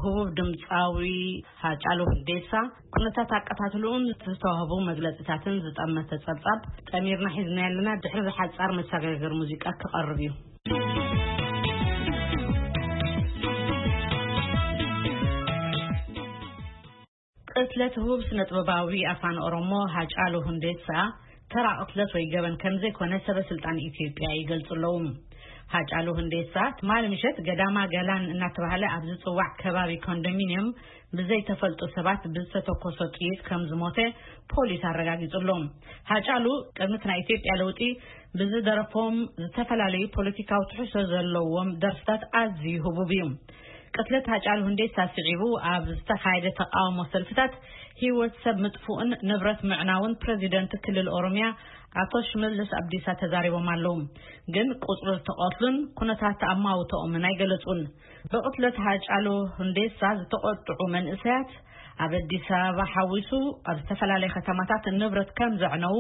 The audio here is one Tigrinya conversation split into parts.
ህቡብ ድምፃዊ ሃጫሉ ሁንዴሳ ኩነታት ኣቀታትልኡን ዝተዋህቡ መግለፂታትን ዝጠመተ ጸብጻብ ጠሚርና ሒዝና ያለና። ድሕሪ ሓጻር መሰጋገሪ ሙዚቃ ክቐርብ እዩ። ቅትለት ህቡብ ስነ ጥበባዊ ኣፋን ኦሮሞ ሃጫሉ ሁንዴሳ ተራ ቅትለት ወይ ገበን ከም ዘይኮነ ሰበ ስልጣን ኢትዮጵያ ይገልጹ ኣለዉ። ሃጫሉ ሁንዴሳ ትማሊ ምሸት ገዳማ ገላን እናተባህለ ኣብ ዝጽዋዕ ከባቢ ኮንዶሚኒየም ብዘይተፈልጡ ሰባት ብዝተተኮሰ ጥይት ከም ዝሞተ ፖሊስ ኣረጋጊጹ ኣሎ። ሃጫሉ ቅድሚ እቲ ናይ ኢትዮጵያ ለውጢ ብዝደረፎም ዝተፈላለዩ ፖለቲካዊ ትሕዝቶ ዘለዎም ደርፍታት ኣዝዩ ህቡብ እዩ። ቅትለት ሃጫሉ ሁንዴሳ ስዒቡ ኣብ ዝተኻየደ ተቃውሞ ሰልፍታት ህይወት ሰብ ምጥፉእን ንብረት ምዕናውን ፕረዚደንት ክልል ኦሮሚያ ኣቶ ሽመልስ ኣብዲሳ ተዛሪቦም ኣለዉ። ግን ቁጽሪ ዝተቐትሉን ኩነታት ኣማውተኦምን ኣይገለጹን። ብቕትለት ሃጫሉ ሁንዴሳ ዝተቆጥዑ መንእሰያት ኣብ ኣዲስ ኣበባ ሓዊሱ ኣብ ዝተፈላለዩ ከተማታት ንብረት ከም ዘዕነዉ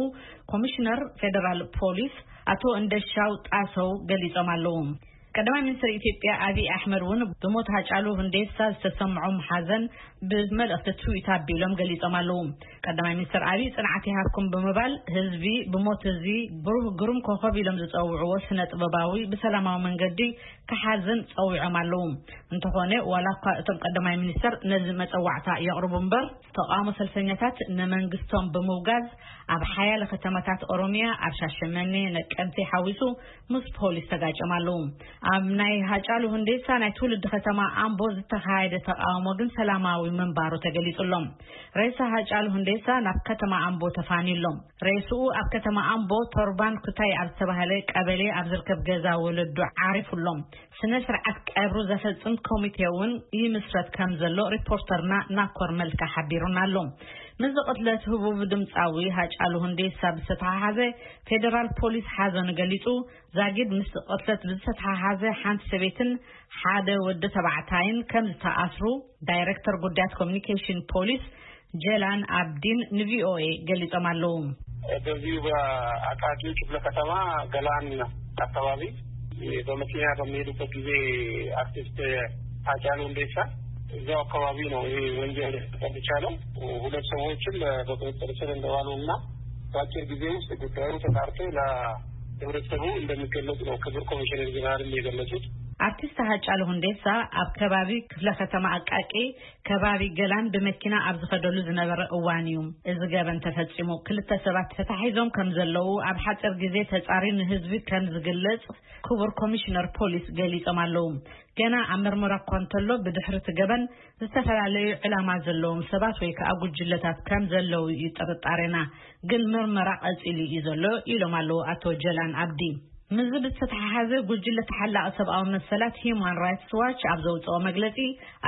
ኮሚሽነር ፌደራል ፖሊስ ኣቶ እንደሻው ጣሰው ገሊጾም ኣለዉ። ቀዳማይ ሚኒስትር ኢትዮጵያ ኣብይ ኣሕመድ እውን ብሞት ሃጫሉ ሁንዴሳ ዝተሰምዖም ሓዘን ብመልእኽቲ ትዊት ኣቢሎም ገሊጾም ኣለዉ። ቀዳማይ ሚኒስትር ኣብይ ጽንዓት ይሃብኩም ብምባል ህዝቢ ብሞት እዚ ብሩህ ግሩም ኮኸብ ኢሎም ዝጸውዕዎ ስነ ጥበባዊ ብሰላማዊ መንገዲ ክሓዝን ጸዊዖም ኣለዉ። እንተኾነ ዋላ እኳ እቶም ቀዳማይ ሚኒስትር ነዚ መጸዋዕታ የቕርቡ እምበር ተቃውሞ ሰልፈኛታት ንመንግስቶም ብምውጋዝ ኣብ ሓያለ ከተማታት ኦሮሚያ ኣብ ሻሸመኔ ነቀምቴ ሓዊሱ ምስ ፖሊስ ተጋጨም ኣለዉ። ኣብ ናይ ሃጫሉ ሁንዴሳ ናይ ትውልዲ ከተማ ኣምቦ ዝተኻየደ ተቃውሞ ግን ሰላማዊ ምንባሩ ተገሊጹ ኣሎ። ሬሳ ሃጫሉ ሁንዴሳ ናብ ከተማ ኣምቦ ተፋንዩ ኣሎ። ሬስኡ ኣብ ከተማ ኣምቦ ቶርባን ኩታይ ኣብ ዝተባህለ ቀበሌ ኣብ ዝርከብ ገዛ ወለዱ ዓሪፉ ኣሎ። ስነ ስርዓት ቀብሩ ዘፈጽም ኮሚቴ እውን ይምስረት ከም ዘሎ ሪፖርተርና ናኮር መልካ ሓቢሩና ኣሎ። ምስ ቅትለት ህቡብ ድምፃዊ ሃጫሉ ሁንዴሳ ብዝተተሓሓዘ ፌደራል ፖሊስ ሓዘኑ ገሊጹ። ዛጊድ ምስ ቅትለት ብዝተተሓሓዘ ሓንቲ ሰበይትን ሓደ ወዲ ተባዕታይን ከም ዝተኣስሩ ዳይሬክተር ጉዳያት ኮሚኒኬሽን ፖሊስ ጀላን ኣብዲን ንቪኦኤ ገሊጾም ኣለዉ። በዚሁ በአቃቂ ክፍለ ከተማ ገላን አካባቢ በመኪና በሚሄዱበት ጊዜ አርቲስት ሃጫሉ ሁንዴሳ እዛው አካባቢ ነው ይሄ ወንጀል የተፈጸመው። ሁለት ሰዎችም በቁጥጥር ስር እንደዋሉ እና በአጭር ጊዜ ውስጥ ጉዳዩ ተጣርቶ ለህብረተሰቡ እንደሚገለጽ ነው ክቡር ኮሚሽነር ጀነራልም የገለጹት። ኣርቲስት ሃጫሉ ሁንዴሳ ኣብ ከባቢ ክፍለ ከተማ ኣቃቂ ከባቢ ገላን ብመኪና ኣብ ዝኸደሉ ዝነበረ እዋን እዩ እዚ ገበን ተፈጺሙ። ክልተ ሰባት ተታሒዞም ከም ዘለዉ ኣብ ሓፂር ግዜ ተጻሪ ንህዝቢ ከም ዝግለጽ ክቡር ኮሚሽነር ፖሊስ ገሊጾም ኣለዉ። ገና ኣብ መርመራ እኳ እንተሎ ብድሕሪ እቲ ገበን ዝተፈላለዩ ዕላማ ዘለዎም ሰባት ወይ ከዓ ጉጅለታት ከም ዘለዉ እዩ ጥርጣሬና፣ ግን መርመራ ቀጺሉ እዩ ዘሎ ኢሎም ኣለዉ ኣቶ ጀላን ኣብዲ። ምስዚ ብዝተተሓሓዘ ጉጅለ ተሓላቒ ሰብኣዊ መሰላት ሂዩማን ራይትስ ዋች ኣብ ዘውፅኦ መግለፂ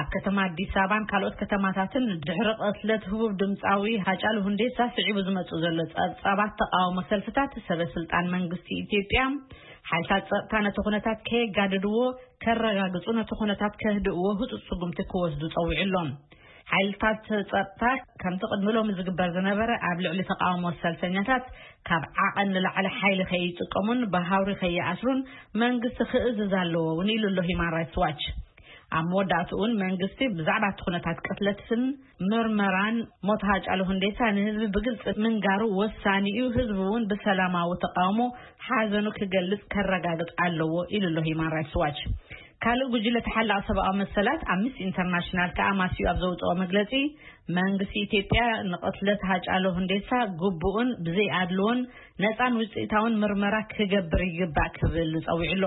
ኣብ ከተማ ኣዲስ ኣበባን ካልኦት ከተማታትን ድሕሪ ቅትለት ህቡብ ድምፃዊ ሃጫሉ ሁንዴሳ ስዒቡ ዝመፁ ዘሎ ፀብፃባት ተቃውሞ ሰልፍታት ሰበ ስልጣን መንግስቲ ኢትዮጵያ ሓይልታት ፀጥታ ነቲ ኩነታት ከየጋድድዎ ከረጋግፁ ነቲ ኩነታት ከህድእዎ ህፁፅ ስጉምቲ ክወስዱ ፀዊዑ ኣሎ። ሓይልታት ጸጥታ ከምቲ ቅድሚ ሎሚ ዝግበር ዝነበረ ኣብ ልዕሊ ተቃውሞ ሰልፈኛታት ካብ ዓቐን ንላዕሊ ሓይሊ ከይጥቀሙን ብሃውሪ ከይኣስሩን መንግስቲ ክእዝዝ ኣለዎ እውን ኢሉ ኣሎ ሂማን ራይትስ ዋች። ኣብ መወዳእትኡ እውን መንግስቲ ብዛዕባ እቲ ኩነታት ቅትለትን ምርመራን ሞት ሃጫሉ ሁንዴሳ ንህዝቢ ብግልፂ ምንጋሩ ወሳኒ እዩ። ህዝቢ እውን ብሰላማዊ ተቃውሞ ሓዘኑ ክገልጽ ከረጋግጽ ኣለዎ ኢሉ ኣሎ ሂማን ራይትስ ዋች። ካልእ ጉጅለ ተሓላቒ ሰብኣዊ መሰላት ኣምነስቲ ኢንተርናሽናል ከኣ ማስዩ ኣብ ዘውፅኦ መግለጺ መንግስቲ ኢትዮጵያ ንቕትለት ሃጫሉ ሁንዴሳ ግቡእን ብዘይ ኣድልዎን ነፃን ውፅኢታውን ምርመራ ክገብር ይግባእ ክብል ጸዊዑ ኣሎ።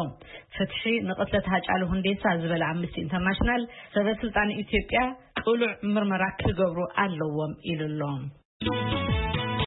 ፍትሒ ንቕትለት ሃጫሉ ሁንዴሳ ዝበለ ኣምነስቲ ኢንተርናሽናል ሰበ ስልጣን ኢትዮጵያ ቅሉዕ ምርመራ ክገብሩ ኣለዎም ኢሉ ኣሎ።